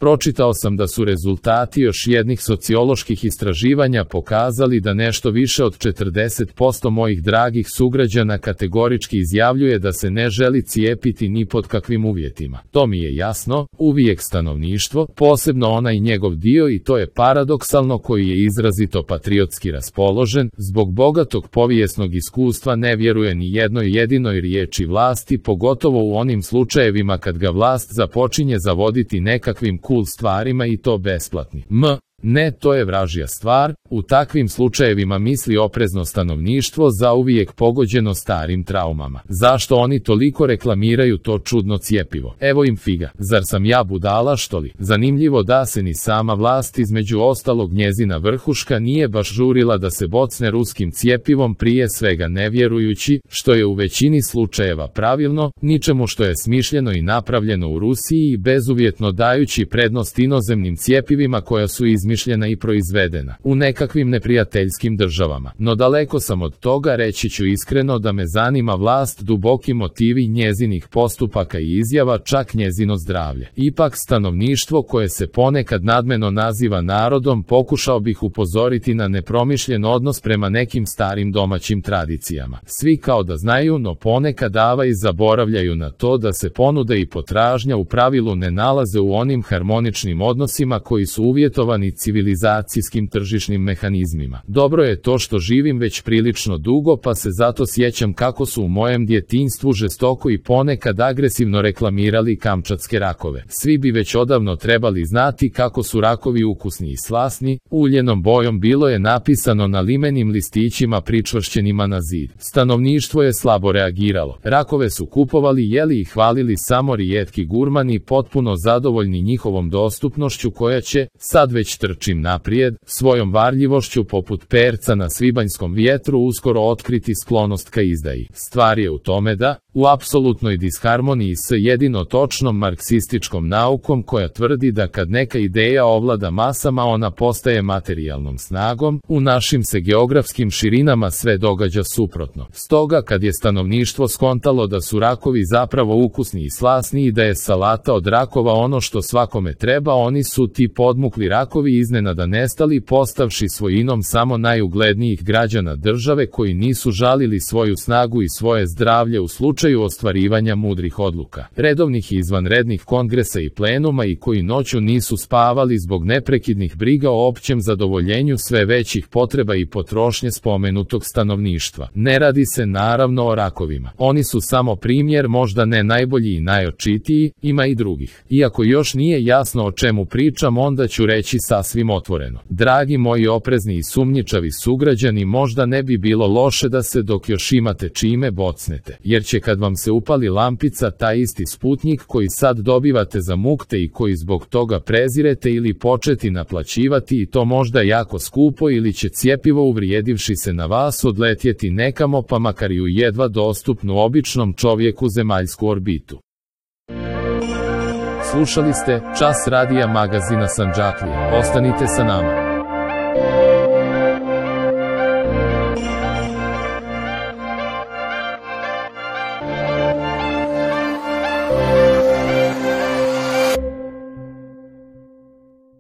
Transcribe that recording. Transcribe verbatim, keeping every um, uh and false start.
Pročitao sam da su rezultati još jednih socioloških istraživanja pokazali da nešto više od četrdeset posto mojih dragih sugrađana kategorički izjavljuje da se ne želi cijepiti ni pod kakvim uvjetima. To mi je jasno, uvijek stanovništvo, posebno onaj njegov dio, i to je paradoksalno, koji je izrazito patriotski raspoložen, zbog bogatog povijesnog iskustva ne vjeruje ni jednoj jedinoj riječi vlasti, pogotovo u onim slučajevima kad ga vlast započinje zavoditi nekakvim cool stvarima i to besplatni. M. Ne, to je vražja stvar. U takvim slučajevima misli oprezno stanovništvo zauvijek pogođeno starim traumama. Zašto oni toliko reklamiraju to čudno cjepivo? Evo im figa. Zar sam ja budala, što li? Zanimljivo da se ni sama vlast, između ostalog njezina vrhuška, nije baš žurila da se bocne ruskim cjepivom, prije svega ne vjerujući, što je u većini slučajeva pravilno, ničemu što je smišljeno i napravljeno u Rusiji, i bezuvjetno dajući prednost inozemnim cjepivima koja su izmišljena i proizvedena u nekakvim neprijateljskim državama. No daleko sam od toga, reći ću iskreno da me zanima vlast, duboki motivi njezinih postupaka i izjava, čak njezino zdravlje. Ipak stanovništvo, koje se ponekad nadmeno naziva narodom, pokušao bih upozoriti na nepromišljen odnos prema nekim starim domaćim tradicijama. Svi kao da znaju, no ponekad dava i zaboravljaju na to da se ponuda i potražnja u pravilu ne nalaze u onim harmoničnim odnosima koji su uvjetovani civilizacijskim tržišnim mehanizmima. Dobro je to što živim već prilično dugo, pa se zato sjećam kako su u mojem djetinjstvu žestoko i ponekad agresivno reklamirali kamčatske rakove. Svi bi već odavno trebali znati kako su rakovi ukusni i slasni. Uljenom bojom bilo je napisano na limenim listićima pričvršćenima na zid. Stanovništvo je slabo reagiralo. Rakove su kupovali, jeli i hvalili samo rijetki gurmani, potpuno zadovoljni njihovom dostupnošću, koja će, sad već trčim naprijed, svojom varljivošću poput perca na svibanjskom vjetru uskoro otkriti sklonost ka izdaji. Stvar je u tome da, u apsolutnoj disharmoniji s jedino točnom marksističkom naukom, koja tvrdi da kad neka ideja ovlada masama, ona postaje materijalnom snagom, u našim se geografskim širinama sve događa suprotno. Stoga kad je stanovništvo skontalo da su rakovi zapravo ukusni i slasni i da je salata od rakova ono što svakome treba, oni su, ti podmukli rakovi, iznenada nestali, postavši svojinom samo najuglednijih građana države, koji nisu žalili svoju snagu i svoje zdravlje u slučaju ostvarivanja mudrih odluka, redovnih i izvanrednih kongresa i plenuma, i koji noću nisu spavali zbog neprekidnih briga o općem zadovoljenju sve većih potreba i potrošnje spomenutog stanovništva. Ne radi se naravno o rakovima. Oni su samo primjer, možda ne najbolji i najočitiji, ima i drugih. Iako još nije jasno o čemu pričam, onda ću reći sasvim otvoreno. Dragi moji oprezni i sumnjičavi sugrađani, možda ne bi bilo loše da se, dok još imate čime, bocnete, jer će kad vam se upali lampica, taj isti Sputnjik koji sad dobivate za mukte i koji zbog toga prezirete, ili početi naplaćivati, i to možda jako skupo, ili će cjepivo, uvrijedivši se na vas, odletjeti nekamo, pa makar i u jedva dostupnu običnom čovjeku zemaljsku orbitu. Slušali ste Čas radija magazina Sandžaklija. Ostanite sa nama.